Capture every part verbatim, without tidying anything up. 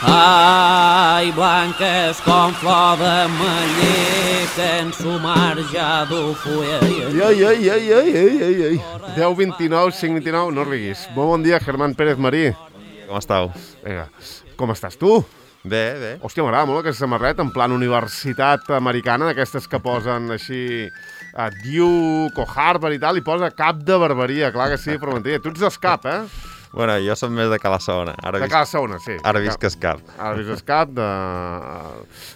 Ai, blanques com flor de meller, que en su mar ja du fulla. Ai, ai, ai, ai, ai, ai, ai. deu vint-i-nou, cinc vint-i-nou, no riguis. Molt bon dia, Germán Pérez Marí. Com estàu? Vinga, com estàs tu? Bé, bé. Hòstia, m'agrada molt aquesta samarreta, en plan universitat americana, d'aquestes que posen així a Duke o Harvard i tal, i posa cap de barbaria, clar que sí, però mentida. Tu ets d'escap, eh? Bueno, jo som més de Cala Segona. Ara De visc, Cala Segona, sí. ara visc a Escap. Ara visc a Escap, de...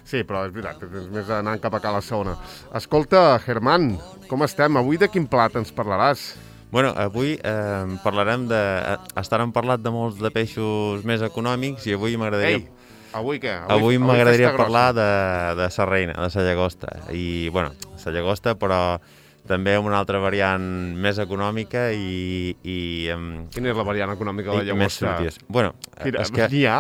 Sí, però és veritat, tens més anant cap a Cala Segona. Escolta, Germán, com estem? Avui de quin plat ens parlaràs? Bueno, avui eh, parlarem de... Estar hem parlat de molts de peixos més econòmics i avui m'agradaria... Ei, avui què? Avui, avui m'agradaria festa parlar grossa. de, de sa reina, de sa llagosta. I, bueno, sa llagosta, però també una altra variant més econòmica i... i um, Quina és la variant econòmica de la i més llagosta? sortides. Bueno, Mira, és que... n'hi ha?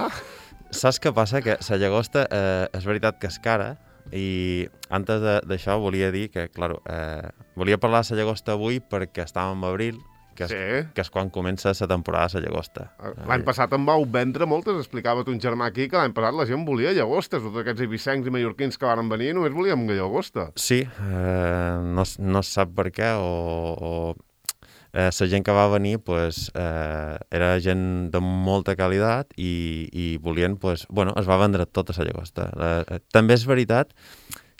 Saps què passa? Que la llagosta eh, és veritat que és cara i antes d'això volia dir que, clar, eh, volia parlar de la llagosta avui perquè estàvem a abril, que és, Sí. que és quan comença la temporada de la llagosta. L'any passat em vau vendre moltes, explicava un germà aquí que l'any passat la gent volia llagostes, tots aquests eivissencs i mallorquins que van venir només volíem llagosta. Sí, eh, no, no se sap per què o... o eh, la gent que va venir pues, eh, era gent de molta qualitat i, i volien, pues, bueno, es va vendre tota la llagosta. Eh, també és veritat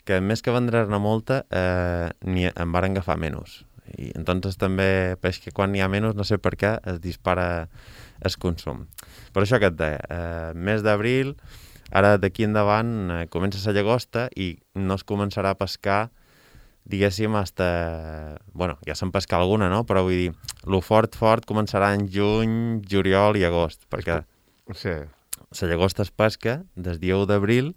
que més que vendre-ne molta, eh, ni en van agafar menys. I entonces també, peix que quan n'hi ha menys, no sé per què, es dispara el consum. Per això que et deia, eh, mes d'abril, ara d'aquí endavant eh, comença la llagosta i no es començarà a pescar, diguéssim, hasta... Bueno, ja se'n pesca alguna, no? Però vull dir, lo fort, fort començarà en juny, juliol i agost, perquè Sí. la llagosta es pesca des dia u d'abril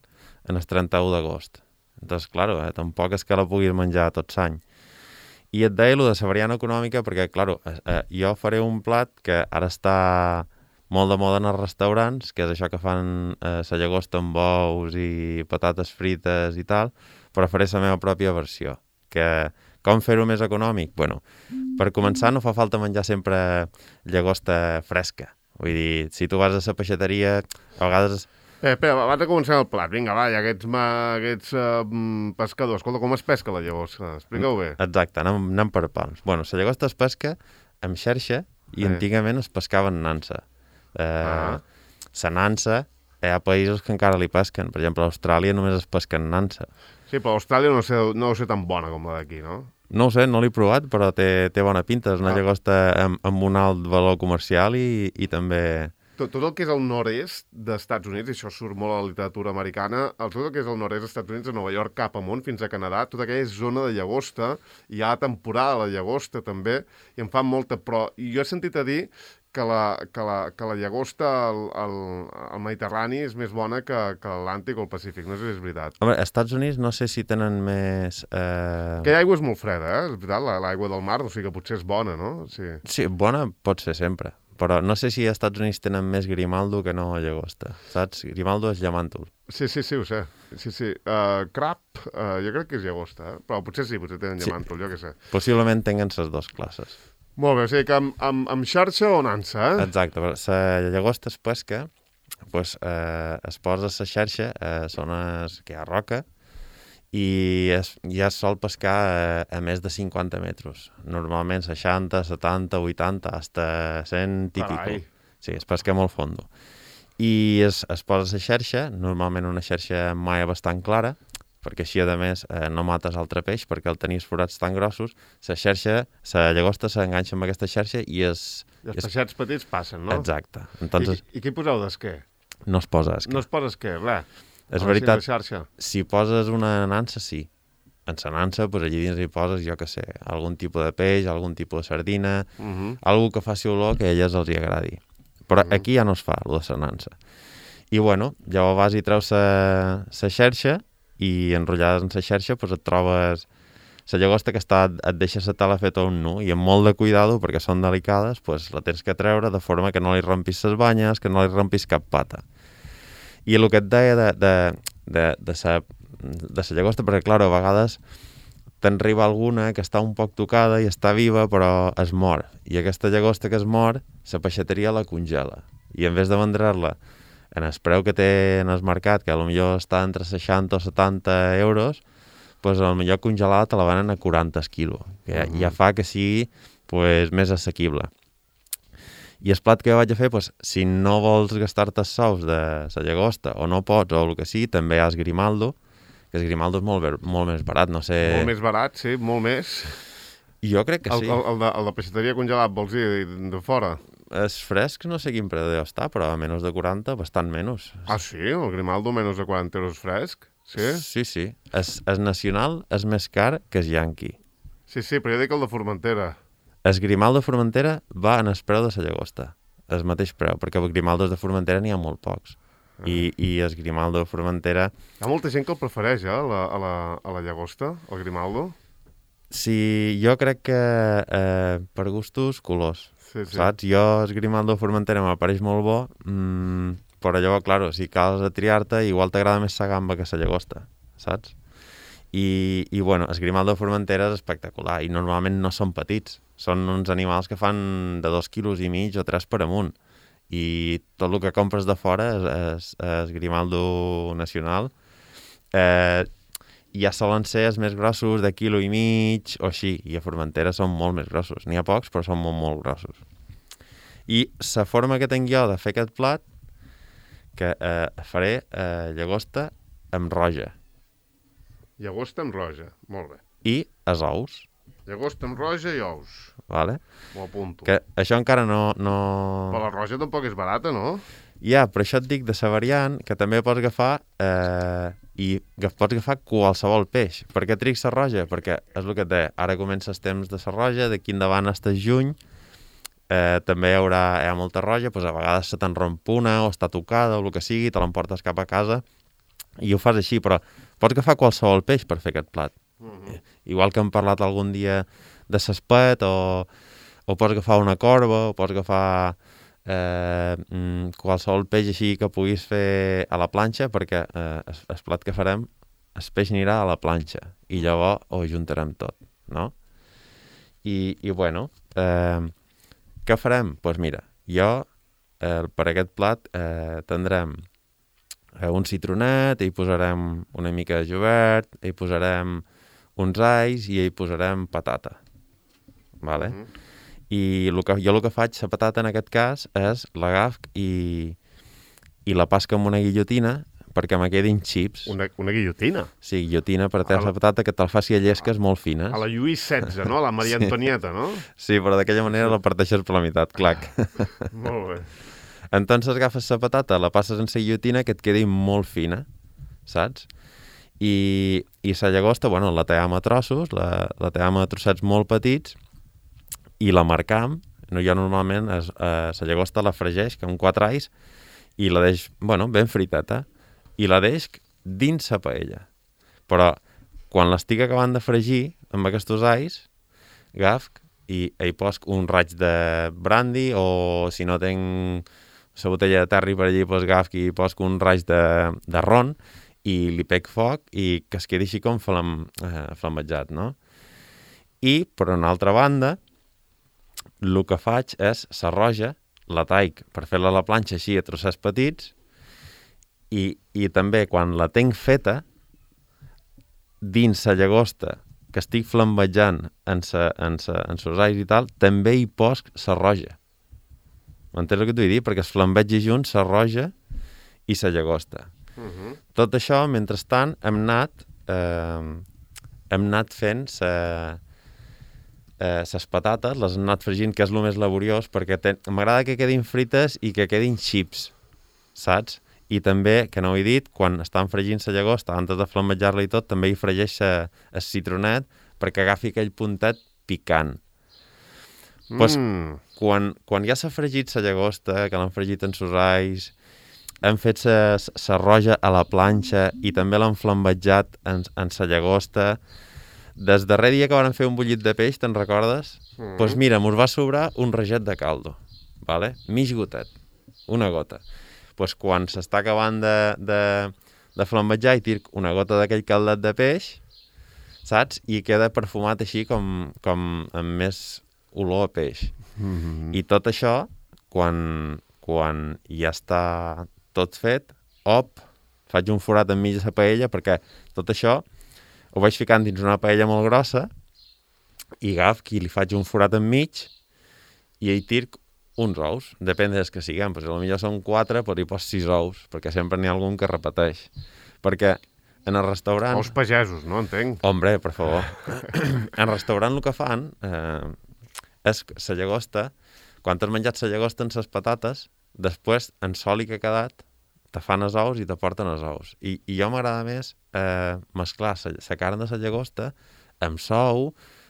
en el trenta-u d'agost. Entonces, claro, eh, tampoc és que la puguis menjar tot l'any. I et deia allò de la variant econòmica perquè, clar, eh, jo faré un plat que ara està molt de moda en els restaurants, que és això que fan eh, la llagosta amb bous i patates frites i tal, però faré la meva pròpia versió. Que com fer-ho més econòmic? Bueno, per començar no fa falta menjar sempre llagosta fresca. Vull dir, si tu vas a la peixateria, a vegades... Eh, espera, abans de començar el plat, vinga, va, ja aquests, ma, aquests uh, pescadors. Escolta, com es pesca la llagosta? Explica-ho bé. Exacte, anem, anem per pams. Bueno, la llagosta es pesca amb xarxa i Eh. antigament es pescava en nansa. Eh, Ah. La nansa, hi ha països que encara li pesquen. Per exemple, a Austràlia només es pesca en nansa. Sí, però a Austràlia no sé, no deu ser tan bona com la d'aquí, no? No ho sé, no l'he provat, però té, té bona pinta. És una Ah. llagosta amb, amb un alt valor comercial i, i també... Tot, tot el que és el nord-est dels Estats Units, i això surt molt a la literatura americana, el, tot el que és el nord-est dels Estats Units, de Nova York cap amunt, fins a Canadà, tota aquella zona de llagosta, hi ha temporada de la llagosta també, i en fan molta, però jo he sentit a dir que la, que la, que la llagosta al, al, al Mediterrani és més bona que, que l'Atlàntic o el Pacífic, no sé si és veritat. Home, als Estats Units no sé si tenen més... Eh... Aquella aigua és molt freda, eh? És veritat, la- l'aigua del mar, o sigui que potser és bona, no? Sí. Sí, bona pot ser sempre. Però no sé si als Estats Units tenen més grimaldo que no llagosta, saps? Grimaldo és llamàntol. Sí, sí, sí, ho sé. Sí, sí. Uh, crab, uh, jo crec que és llagosta, eh? Però potser sí, potser tenen Sí. llamàntol, jo què sé. Possiblement tinguen les dues classes. Molt bé, o sigui que amb, amb, amb xarxa o nansa, eh? Exacte, però la llagosta es pesca, pues, eh, es posa la xarxa a zones que hi ha roca i es, ja es sol pescar a, a més de cinquanta metres. Normalment seixanta, setanta, vuitanta, hasta cent típico. Carai. Sí, es pesca molt fondo. I es, es posa la xarxa, normalment una xarxa mai bastant clara, perquè així, a més, eh, no mates altre peix, perquè al tenir els forats tan grossos, la xarxa, la llagosta s'enganxa amb aquesta xarxa i es... I els es... peixets petits passen, no? Exacte. Entonces, I, I què hi poseu d'esquer? no es posa esquer. No es posa esquer, res. És A la veritat, xarxa. si poses una nansa, sí. En la nansa, pues, allí dins hi poses, jo què sé, algun tipus de peix, algun tipus de sardina, Uh -huh. algú que faci olor que a elles els hi agradi. Però Mhm. aquí ja no es fa, el de la nansa. I, bueno, llavors vas i treus la xarxa i enrotllades en la xarxa pues, et trobes la llagosta que està, et deixa la tala feta un nu i amb molt de cuidado, perquè són delicades, pues, la tens que treure de forma que no li rompis les banyes, que no li rompis cap pata. I el que et deia de, de, de, de, sa, de la llagosta, perquè, clar, a vegades t'enriba alguna que està un poc tocada i està viva, però es mor. I aquesta llagosta que es mor, la peixateria la congela. I en vez de vendre-la en el preu que té en el mercat, que potser està entre seixanta o setanta euros, doncs potser congelada te la venen a quaranta el quilo, que ja, ja fa que sigui pues, més assequible. I el plat que vaig a fer, pues, si no vols gastar-te els sous de la llagosta o no pots o el que sigui, també hi ha el grimaldo, que el grimaldo és molt, molt més barat, no sé... Molt més barat, sí, molt més. Jo crec que el, sí. El, el, de, el de peixateria congelat, vols dir, de fora? És fresc, no sé quin preu deu estar, però a menys de quaranta, bastant menys. Ah, sí? El grimaldo menys de quaranta euros fresc? Sí? Sí, sí. És, és nacional, és més car que el Yankee. Sí, sí, però jo dic el de Formentera. El grimaldo de Formentera va en el preu de la llagosta, el mateix preu, perquè els grimaldos de Formentera n'hi ha molt pocs. Ah. I, I el grimaldo de Formentera... Hi ha molta gent que el prefereix, eh, a la, a la, a la llagosta, el grimaldo. Sí, jo crec que eh, per gustos, colors, sí, sí. saps? Jo el grimaldo de Formentera m'apareix molt bo, mmm, però llavors, clar, si cals a triar-te, igual t'agrada més la gamba que la llagosta, saps? I, i bueno, el grimaldo de Formentera és espectacular i normalment no són petits, són uns animals que fan de dos quilos i mig o tres per amunt i tot el que compres de fora és, és, és grimaldo nacional. Eh, ja solen ser els més grossos de quilo i mig o així, i a Formentera són molt més grossos. N'hi ha pocs, però són molt, molt grossos. I la forma que tinc jo de fer aquest plat, que eh, faré eh, llagosta amb roja. Llagosta amb roja, molt bé. I els ous. Llagosta amb roja i ous. Vale? M'ho apunto. Que això encara no, no... Però la roja tampoc és barata, no? Ja, però això et dic de la variant, que també pots agafar eh, i pots agafar qualsevol peix. Per què tric la roja? Perquè és el que et deia, ara comença el temps de la roja, d'aquí endavant fins a juny, eh, també hi haurà hi ha molta roja, doncs a vegades se te'n romp una o està tocada o el que sigui, te l'emportes cap a casa i ho fas així, però pots agafar qualsevol peix per fer aquest plat. Uh-huh. Igual que hem parlat algun dia de s'espet o, o pots agafar una corba o pots agafar eh, qualsevol peix així que puguis fer a la planxa, perquè eh, el, el plat que farem, el peix anirà a la planxa i llavors ho ajuntarem tot, no? I, i bueno, eh, què farem? Doncs pues mira, jo eh, per aquest plat eh, tindrem eh, un citronet, hi posarem una mica de julivert, hi posarem uns alls i hi posarem patata. Vale? Mm-hmm. I el que, jo el que faig, la patata en aquest cas, és l'agaf i, i la pasca amb una guillotina perquè me quedin xips. Una, una guillotina? Sí, guillotina per tallar la patata que te'l faci a llesques molt fines. A la Lluís setze, no? A la Maria sí. Antonieta, no? Sí, però d'aquella manera la parteixes per la meitat, clac. Molt bé. Entonces agafes la patata, la passes en la guillotina que et quedi molt fina, saps? I, i la llagosta, bueno, la tallem a trossos, la, la tallem a trossets molt petits i la marcam. No, jo normalment es, eh, la llagosta la fregeix amb quatre alls i la deix, bueno, ben friteta, i la deix dins la paella. Però quan l'estic acabant de fregir amb aquests alls, agaf i hi poso un raig de brandy o si no tinc la botella de terri per allí, doncs agaf i poso un raig de, de ron i li pec foc i que es quedi així com flam, eh, flamejat, no? I, per una altra banda, el que faig és la roja, la taic per fer-la a la planxa així a trossets petits i, i també quan la tinc feta, dins la llagosta que estic flambejant en sa, en sa, en sos alls i tal, també hi poso la roja. M'entens el que t'ho vull dir? Perquè es flambegi junts la roja i la llagosta. Uh-huh. Tot això, mentrestant, hem anat, eh, hem anat fent ses eh, patates, les hem anat fregint, que és el més laboriós, perquè m'agrada que quedin frites i que quedin xips, saps? I també, que no ho he dit, quan estan fregint la llagosta, antes de flambejar-la i tot, també hi fregeix el citronet perquè agafi aquell puntet picant. Mm. Pues, quan, quan ja s'ha fregit la llagosta, que l'han fregit en sos alls, hem fet la roja a la planxa i també l'han flambejat en, en la llagosta. Des darrer dia que van fer un bullit de peix, te'n recordes? Doncs mm. pues mira, mos va sobrar un raget de caldo, vale? Mig gotet, una gota. Pues quan s'està acabant de, de, de flambejar i tirc una gota d'aquell caldet de peix, saps? I queda perfumat així com, com amb més olor a peix. Mm-hmm. I tot això, quan, quan ja està tot fet, op, faig un forat enmig de la paella, perquè tot això ho vaig ficant dins una paella molt grossa i agaf i li faig un forat enmig i hi tirc uns ous, depèn dels que siguem, però si potser són quatre, però hi pos sis ous, perquè sempre n'hi ha algun que repeteix. Perquè en el restaurant... Ous pagesos, no? Entenc. Hombre, per favor. En el restaurant el que fan eh, és la llagosta, quan has menjat la llagosta amb les patates, després, en soli que ha quedat, te fan els ous i te porten els ous. I, i jo m'agrada més eh, mesclar la carn de la llagosta amb sou,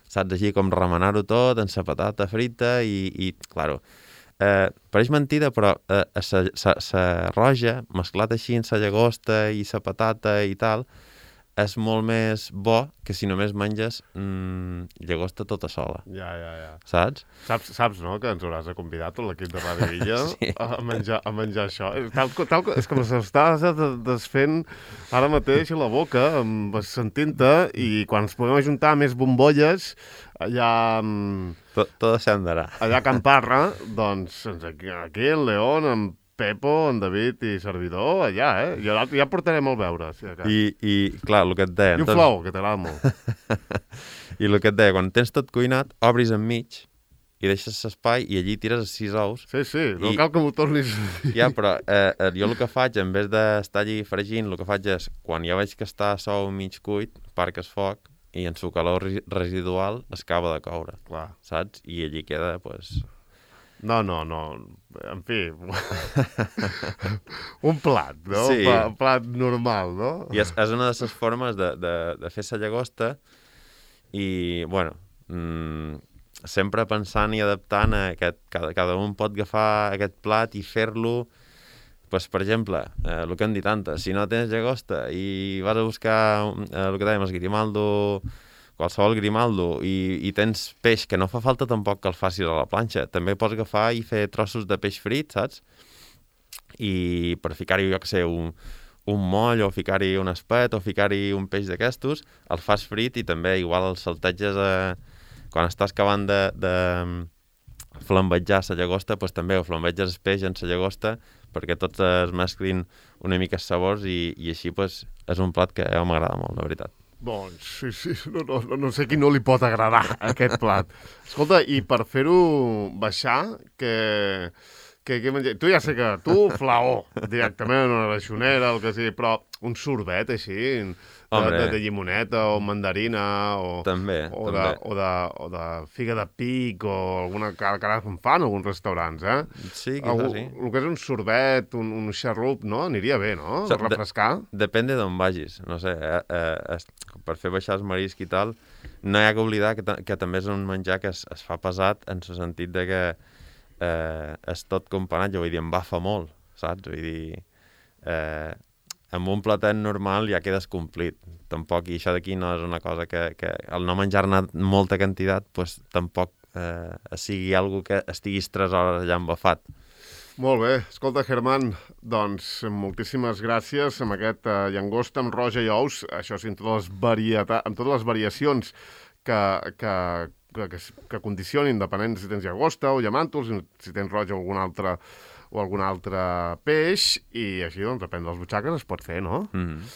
saps, així com remenar-ho tot, amb la patata frita i, i claro, eh, pareix mentida, però eh, la roja, mesclat així amb la llagosta i la patata i tal, és molt més bo que si només menges mmm, llagosta tota sola. Ja, ja, ja. Saps? Saps, saps, no?, que ens hauràs de convidar tot l'equip de Ràdio Illa Sí. a, menjar, a menjar això. Tal, tal, és que m'estàs desfent ara mateix a la boca, sentint-te, i quan ens podem ajuntar més bombolles, allà, Tot, tot s'andarà. allà a Can Parra, doncs aquí, aquí el León, amb Pepo, en David i servidor, allà, eh? Ja, ja portarem el beure. Sí, I, I, clar, el que et deia... I un doncs- flou, que t'agrada molt. I el que et deia, quan tens tot cuinat, obris enmig i deixes l'espai i allí tires els sis ous. Sí, sí, no I- cal que m'ho tornis a dir. Ja, però eh, eh, jo el que faig, en vez d'estar allí fregint, el que faig és, quan ja veig que està sou mig cuit, parc el foc i en su calor resi- residual es acaba de coure, Clar. saps? I allí queda, pues... No, no, no. En fi, un plat, no? Sí. Un pla- un plat normal, no? I és, és una de les formes de, de, de fer la llagosta i, bueno, mmm, sempre pensant i adaptant a aquest, cada, cada un pot agafar aquest plat i fer-lo, pues, per exemple, eh, el que hem dit antes, si no tens llagosta i vas a buscar eh, el que dèiem, el grimaldo, qualsevol grimaldo, i, i tens peix, que no fa falta tampoc que el facis a la planxa, també pots agafar i fer trossos de peix frit, saps? I per ficar-hi, jo què sé, un, un moll, o ficar-hi un espet, o ficar-hi un peix d'aquestos, el fas frit i també igual el salteges a... quan estàs acabant de, de flambejar la llagosta, doncs també ho flambeges el peix en la llagosta perquè tots es mesclin una mica els sabors i, i així pues, és un plat que a mi m'agrada molt, de veritat. Doncs sí, sí, no, no, no, no sé qui no li pot agradar aquest plat. Escolta, i per fer-ho baixar, que... que, que menja... Tu ja sé que tu, flaó, directament en una reixonera, el que sigui, però un sorbet així, de, de, de llimoneta o mandarina o, també, o, també. de, o, de, o de figa de pic o alguna cara que ara en fan alguns restaurants, eh? Sí, quizás sí. El que és un sorbet, un, un xarrup, no? Aniria bé, no? O sigui, Refrescar. De, depèn d'on vagis, no sé, eh, eh, es, per fer baixar els marisc i tal, no hi ha que oblidar que, que també és un menjar que es, es fa pesat en el sentit de que eh, és tot companat, jo vull dir, em bafa molt, saps? Vull dir, eh, amb un platet normal ja quedes complit. Tampoc, i això d'aquí no és una cosa que, que al no menjar-ne molta quantitat, pues, tampoc eh, sigui algo que estiguis tres hores allà embafat. Molt bé. Escolta, Germán, doncs moltíssimes gràcies amb aquest uh, llangosta amb roja i ous, això sí, amb totes les, varieta... amb totes les variacions que, que, que, que, que condicionin, depenent si tens llagosta o llamàntols, si tens roja o algun altre, o algun altre peix, i així, doncs, depèn de les butxaques, es pot fer, no? Mm.